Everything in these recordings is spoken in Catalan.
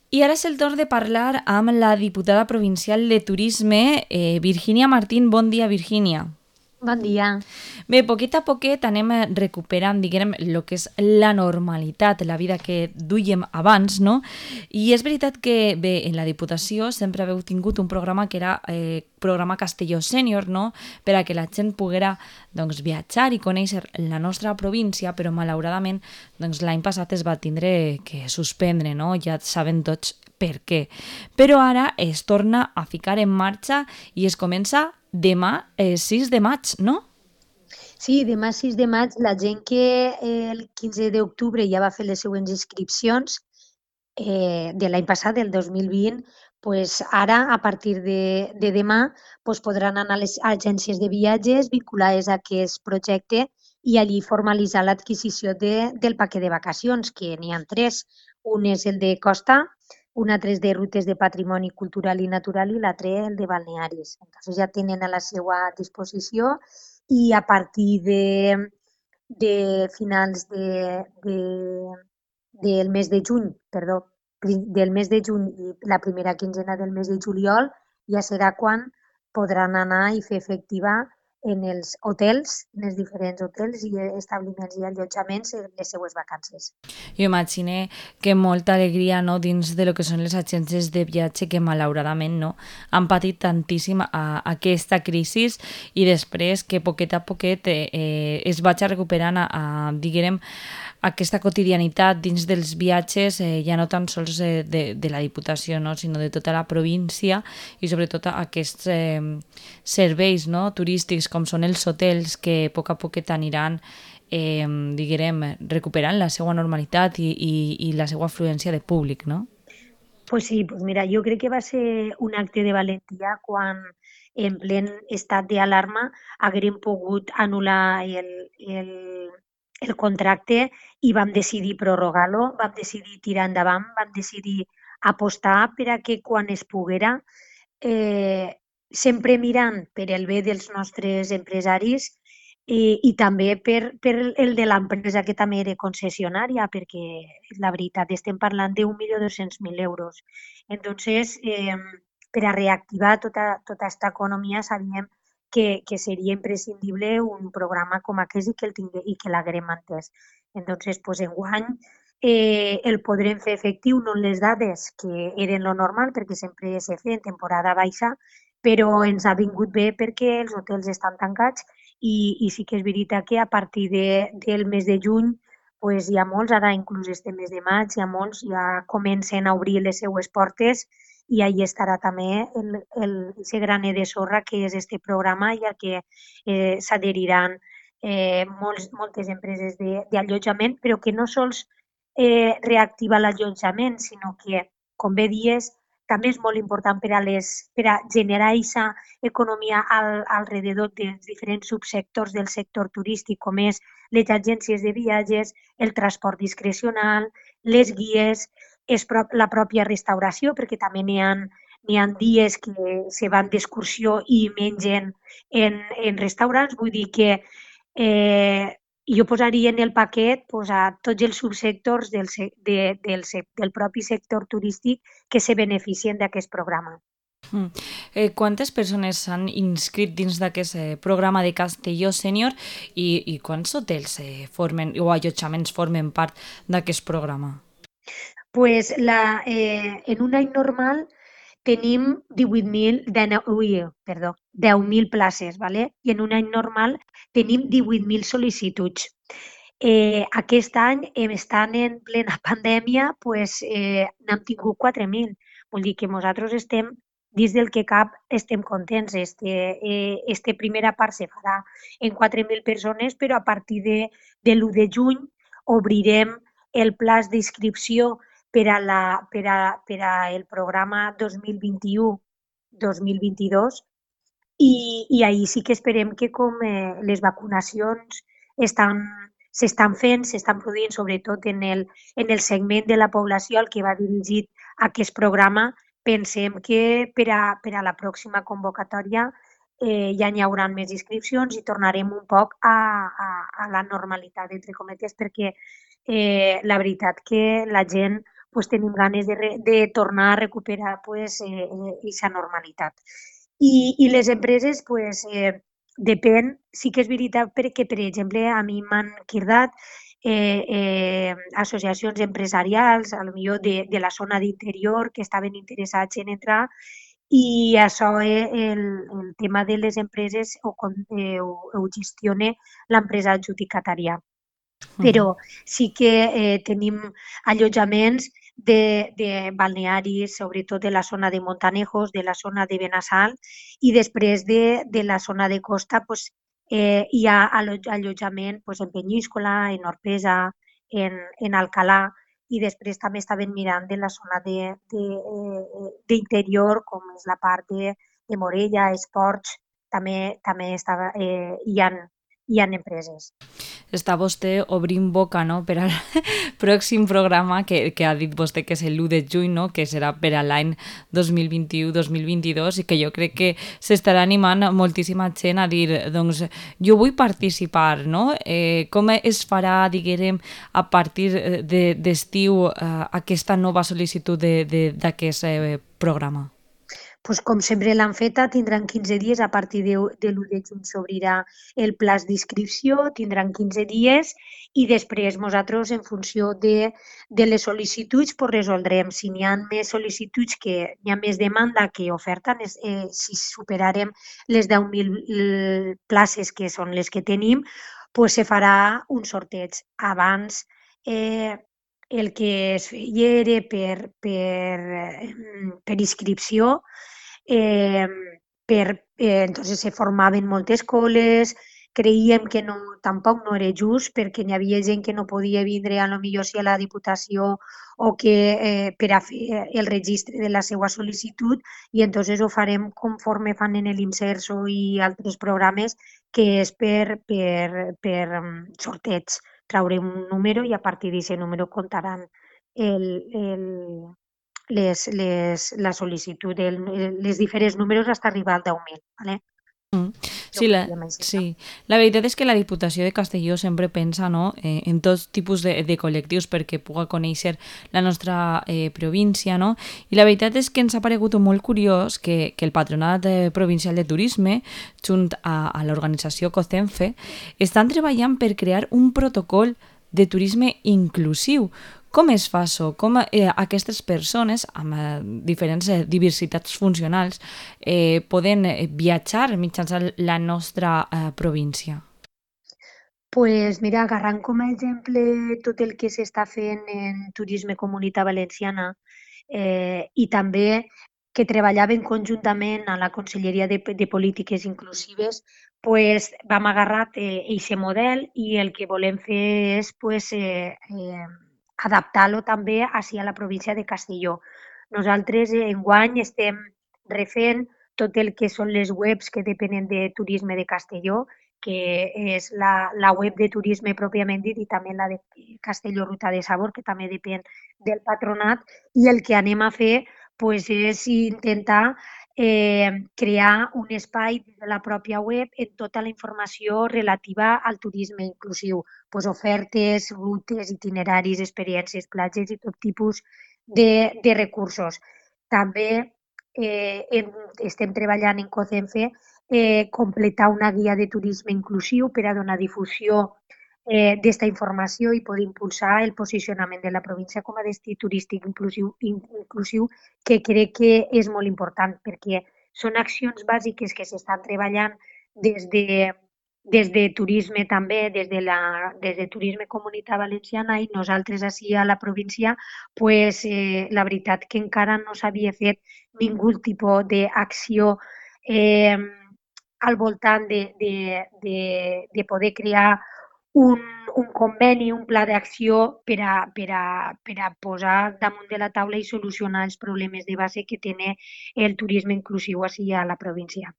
I ara és el torn de parlar amb la diputada provincial de Turisme, Virgínia Martín. Bon dia, Virgínia. Bon dia. Bé, poquet a poquet anem recuperant, diguem, el que és la normalitat, la vida que duíem abans, no? I és veritat que, bé, en la Diputació sempre haveu tingut un programa que era programa Castelló Sènior, no? Per a que la gent poguera doncs, viatjar i conèixer la nostra província, però malauradament doncs, l'any passat es va tindre que suspendre, no? Ja saben tots per què. Però ara es torna a ficar en marxa i es comença demà, 6 de maig, no? Sí, demà 6 de maig, la gent que el 15 d'octubre ja va fer les següents inscripcions de l'any passat, del 2020, pues ara, a partir de demà, pues podran anar a les agències de viatges vinculades a aquest projecte i allí formalitzar l'adquisició del paquet de vacacions, que n'hi ha tres. Un és el de costa, un altre és de rutes de patrimoni cultural i natural i l'altre el de balnearis. Entonces ja tenen a la seva disposició i a partir de finals del mes de juny, perdó, del mes de juny i la primera quinzena del mes de juliol ja serà quan podran anar i fer efectiva en els hotels, en els diferents hotels i establiments i allotjaments les seues vacances. Jo imagine que molta alegria no, dins de lo que són les agències de viatge que malauradament no, han patit tantíssim aquesta crisi i després que poquet a poquet es vaig recuperant diguem, aquesta quotidianitat dins dels viatges, ja no tan sols de la Diputació, no, sinó de tota la província i sobretot aquests serveis no, turístics com són els hotels que a poquet aniran diguem, recuperant la seva normalitat i la seva afluència de públic, no? Pues sí, pues mira, jo crec que va ser un acte de valentia quan en plen estat d'alarma haguérem pogut anul·lar el contracte i vam decidir prorrogar-lo, vam decidir tirar endavant, vam decidir apostar per a que quan es poguera, eh, sempre mirant per el bé dels nostres empresaris i també per el de l'empresa que també era concessionària, perquè la veritat estem parlant d'1.200.000 euros. Entonces, per a reactivar tota aquesta economia sabíem que seria imprescindible un programa com aquest i que l'haguem entès. Entonces, pues, enguany el podrem fer efectiu, no en les dades que eren lo normal, perquè sempre se feia en temporada baixa, però ens ha vingut bé perquè els hotels estan tancats i sí que és veritat que a partir del mes de juny pues, hi ha molts, ara inclús este mes de maig, hi ha molts, ja comencen a obrir les seues portes i ahí estarà també ese graner de sorra que és este programa i al que s'adheriran moltes empreses d'allotjament, però que no sols reactiva l'allotjament, sinó que, com bé dies, també és molt important per a generar aquesta economia alrededor dels diferents subsectors del sector turístic, com és les agències de viatges, el transport discrecional, les guies, la pròpia restauració, perquè també n'hi ha dies que se van d'excursió i mengen en restaurants, vull dir que jo posaria en el paquet pues, a tots els subsectors del propi sector turístic que se beneficien d'aquest programa. Mm. Quantes persones s'han inscrit dins d'aquest programa de Castelló Sènior i quants hotels formen o allotjaments formen part d'aquest programa? Pues en un any normal tenim 10.000 places, ¿vale? I en un any normal tenim 18.000 sol·licituds. Aquest any, estant en plena pandèmia, pues, n'hem tingut 4.000. Vull dir que nosaltres estem, dins del que cap, estem contents. Este primera part se farà en 4.000 persones, però a partir de l'1 de juny obrirem el plaç d'inscripció per a el programa 2021-2022 i ahir sí que esperem que com les vacunacions s'estan fent, s'estan produint sobretot en el segment de la població al que va dirigit aquest programa, pensem que per a la pròxima convocatòria ja n'hi haurà més inscripcions i tornarem un poc a la normalitat, entre cometes, perquè la veritat que la gent pues, tenim ganes de tornar a recuperar pues, eixa normalitat. I les empreses, pues, depèn, sí que és veritat perquè, per exemple, a mi m'han cridat associacions empresarials, a lo millor de la zona d'interior, que estaven interessats en entrar, i això, el tema de les empreses ho gestiona l'empresa adjudicatària. Però sí que tenim allotjaments de balnearis, sobretot de la zona de Montanejos, de la zona de Benassal, i després de la zona de costa pues, hi ha allotjament pues, en Penyíscola, en Orpesa, en Alcalà, i després també estaven mirant de la zona d'interior, com és la part de Morella, Esports, també estava, hi ha empreses. Està vostè obrint boca, no?, per al pròxim programa que ha dit vostè que és l'1 de juny, no?, que serà per a l'any 2021-2022, i que jo crec que s'estarà animant moltíssima gent a dir, doncs, jo vull participar, no? Com es farà, diguem, a partir d'estiu aquesta nova sol·licitud d'aquest programa? Pues com sempre l'han feta, tindran 15 dies, a partir de l'1 de juny s'obrirà el plaç d'inscripció, tindran 15 dies i després nosaltres, en funció de les sol·licituds, pues resoldrem. Si n'hi ha més sol·licituds, que hi ha més demanda que oferta, si superarem les 10.000 places, que són les que tenim, pues se farà un sorteig. Abans, el que es feia era per inscripció, entonces se formaven moltes coles, creiem que tampoc no era just perquè n'hi havia gent que no podia vindre a lo millor si a la Diputació o que per a fer el registre de la seva sol·licitud, i entonces ho farem conforme fan en l'Imserso i altres programes, que és per sorteig. Traurem un número i a partir d'aquest número comptaran la sol·licitud, les diferents números fins a arribar al 10.000. ¿vale? Sí, la veritat és que la Diputació de Castelló sempre pensa, no?, en tots tipus de col·lectius perquè puga conèixer la nostra província, no? I la veritat és que ens ha paregut molt curiós que el Patronat Provincial de Turisme, junt a l'organització COCENFE, estan treballant per crear un protocol de turisme inclusiu. Com es fa això? Com aquestes persones amb diferents diversitats funcionals poden viatjar mitjançant la nostra província? Pues mira, agarrant com a exemple tot el que s'està fent en Turisme Comunitat Valenciana, i també que treballaven conjuntament a la Conselleria de Polítiques Inclusives, pues vam agarrar aquest model i el que volem fer és pues, adaptar-lo també ací a la província de Castelló. Nosaltres enguany estem refent tot el que són les webs que depenen de Turisme de Castelló, que és la web de turisme pròpiament dit i també la de Castelló Ruta de Sabor, que també depèn del patronat, i el que anem a fer pues, és intentar crear un espai de la pròpia web en tota la informació relativa al turisme inclusiu, pues, ofertes, rutes, itineraris, experiències, platges i tot tipus de recursos. També estem treballant en COCENFE completar una guia de turisme inclusiu per a donar difusió d'esta informació i poder impulsar el posicionament de la província com a destí turístic inclusiu, que crec que és molt important perquè són accions bàsiques que s'estan treballant des de turisme també, des de Turisme Comunitat Valenciana, i nosaltres ací a la província, pues, la veritat que encara no s'havia fet ningú tipus d'acció al voltant de poder crear un conveni, un pla d'acció per a posar damunt de la taula i solucionar els problemes de base que té el turisme inclusiu ací a la província.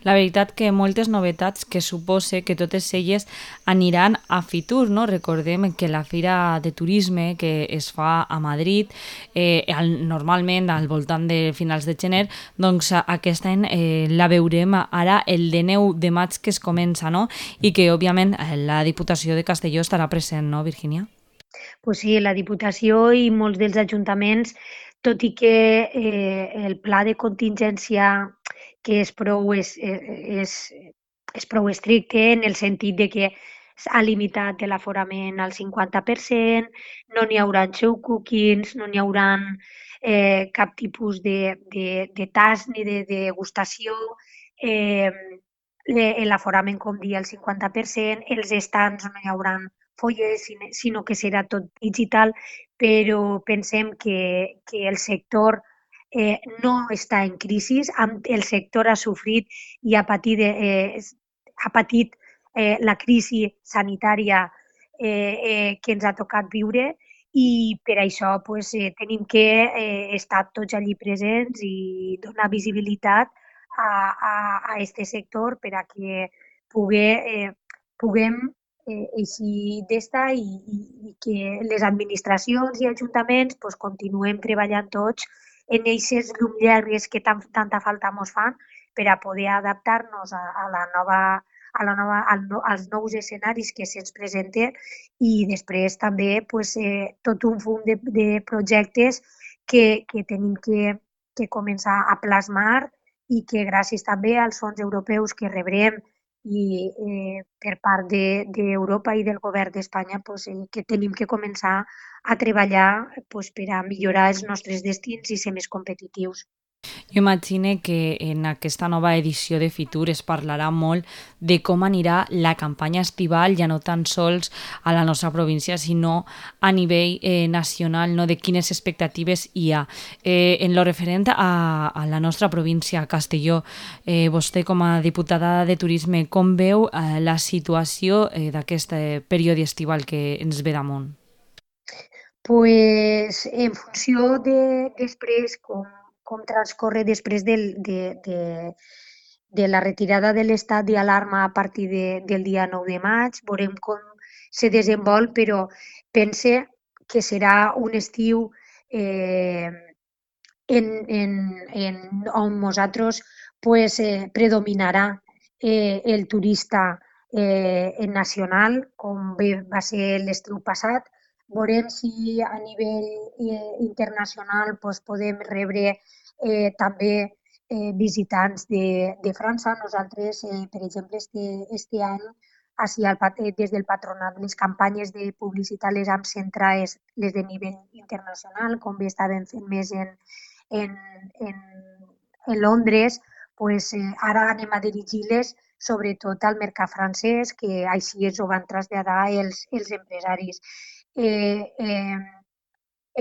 La veritat que moltes novetats que supose que totes elles aniran a Fitur, no? Recordem que la Fira de Turisme que es fa a Madrid normalment al voltant de finals de gener, doncs aquest any la veurem ara el de 9 de maig que es comença, no? I que òbviament la Diputació de Castelló estarà present, no, Virgínia? Pues sí, la Diputació i molts dels ajuntaments, tot i que el pla de contingència que és prou estricte en el sentit de que ha limitat l'aforament al 50%, no n'hi haurà show cookings, no n'hi haurà cap tipus de tast ni de degustació, eh, l'aforament, com dia, el 50%, els estants no hi haurà fulles, sinó que serà tot digital, però pensem que el sector no està en crisi, el sector ha sofrit i ha patit la crisi sanitària que ens ha tocat viure i per això pues, tenim que estar tots allí presents i donar visibilitat a este sector per a que puguem eixir d'esta i que les administracions i ajuntaments pues, continuem treballant tots en eixes llum llargues que tanta falta ens fan per a poder adaptar-nos als nous escenaris que se'ns presenten i després també pues, tot un fum de projectes que tenim que començar a plasmar i que gràcies també als fons europeus que rebrem i per part d'Europa i del govern d'Espanya pues, que tenim que començar a treballar pues, per a millorar els nostres destins i ser més competitius. Jo imagine que en aquesta nova edició de Fitur es parlarà molt de com anirà la campanya estival, ja no tan sols a la nostra província, sinó a nivell nacional, no? De quines expectatives hi ha. En lo referent a la nostra província, Castelló, vostè com a diputada de Turisme, com veu la situació d'aquest període estival que ens ve damunt? Pues, en funció de després com transcorre després de la retirada de l'estat d'alarma a partir del dia 9 de maig, veurem com se desenvolp, però pense que serà un estiu eh, on nosaltres pues, predominarà el turista nacional, com bé va ser l'estiu passat. Veurem si a nivell internacional pues, podem rebre també visitants de França. Nosaltres, per exemple, este any, des del patronat, les campanyes de publicitat les hem centrat les de nivell internacional, com bé estàvem fent més en, en, en Londres, pues, ara anem a dirigir-les sobretot al mercat francès, que així ens ho van traslladar els empresaris. Eh,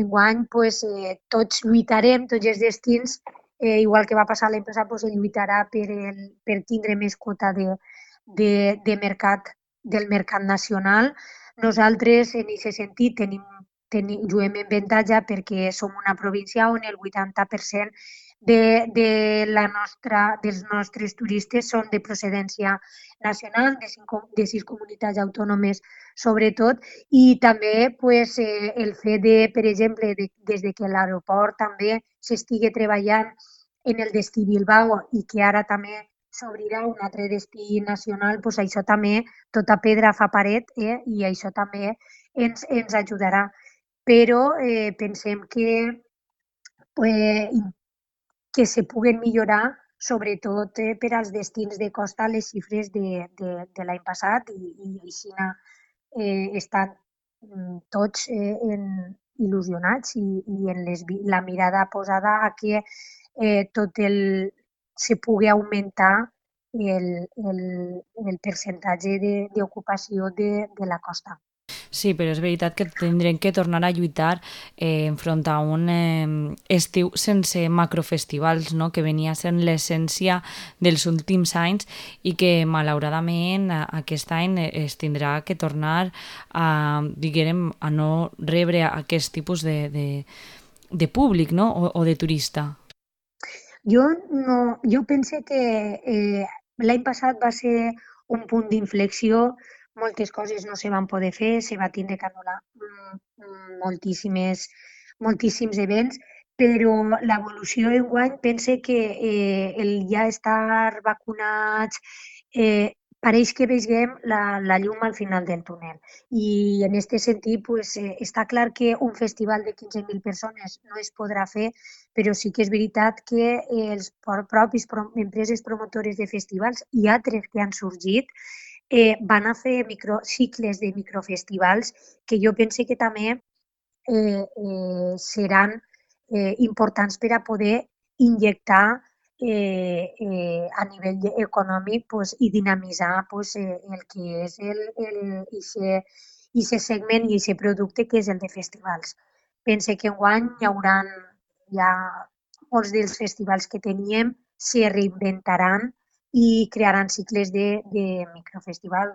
Enguany, pues, tots lluitarem, tots els destins, igual que va passar l'any passat, pues, lluitarà per tindre més quota de mercat del mercat nacional. Nosaltres, en aquest sentit, juguem en avantatge perquè som una província on el 80% dels nostres turistes són de procedència nacional, de 6 comunitats autònomes sobretot, i també pues, el fet de, per exemple, des de que l'aeroport també s'estigui treballant en el destí Bilbao i que ara també s'obrirà un altre destí nacional, pues això també, tota pedra fa paret, i això també ens ajudarà. Però pensem eh, que se puguen millorar, sobretot per als destins de costa, les xifres de l'any passat i així estan tots il·lusionats i en la mirada posada a que se pugui augmentar el percentatge d'ocupació de la costa. Sí, però és veritat que tindrem que tornar a lluitar enfront a un estiu sense macrofestivals, no? Que venia sent l'essència dels últims anys i que malauradament aquest any es tindrà que tornar a no rebre aquest tipus de públic, no? O de turista. Jo pense que l'any passat va ser un punt d'inflexió, moltes coses no se van poder fer, se va tindre que anul·lar moltíssims events, però l'evolució enguany pense que el ja estar vacunats pareix que veiem la llum al final del túnel. I en aquest sentit, pues, està clar que un festival de 15.000 persones no es podrà fer, però sí que és veritat que els propis empreses promotores de festivals i altres que han sorgit van a fer cicles de microfestivals que jo pense que també seran importants per a poder injectar a nivell econòmic pues, i dinamitzar pues, el que és ixe segment i aquest producte que és el de festivals. Pense que enguany hi haurà ja molts dels festivals que teníem se reinventaran i crearan cicles de microfestival.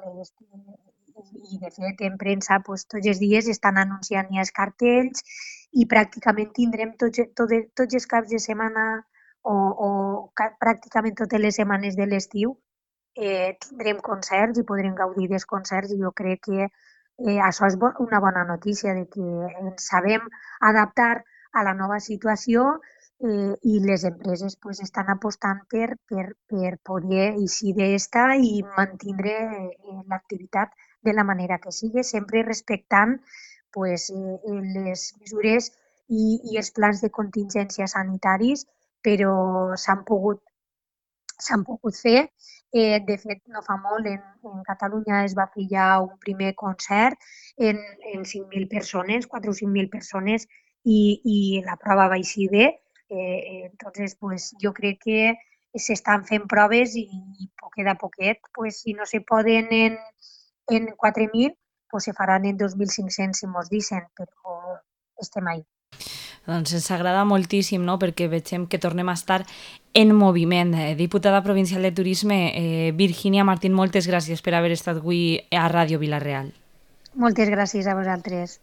I de fet en premsa pues, tots els dies estan anunciant ja els cartells i pràcticament tindrem tots els caps de setmana o pràcticament totes les setmanes de l'estiu tindrem concerts i podrem gaudir dels concerts i jo crec que això és una bona notícia de que ens sabem adaptar a la nova situació i les empreses pues, estan apostant per poder eixir d'esta i mantindre l'activitat de la manera que sigui, sempre respectant pues, les mesures i els plans de contingència sanitaris, però s'han pogut fer. De fet, no fa molt, en Catalunya es va fer ja un primer concert en 5.000 persones, 4 o 5.000 persones, i la prova va eixir bé. Entonces, pues, jo crec que s'estan fent proves i poquet a poquet, pues, si no se poden en 4.000, pues se faran en 2.500, si mos dicen, però estem ahí. Doncs ens agrada moltíssim, no?, perquè veiem que tornem a estar en moviment. Diputada provincial de Turisme, Virginia Martín, moltes gràcies per haver estat avui a Ràdio Vila-real. Moltes gràcies a vosaltres.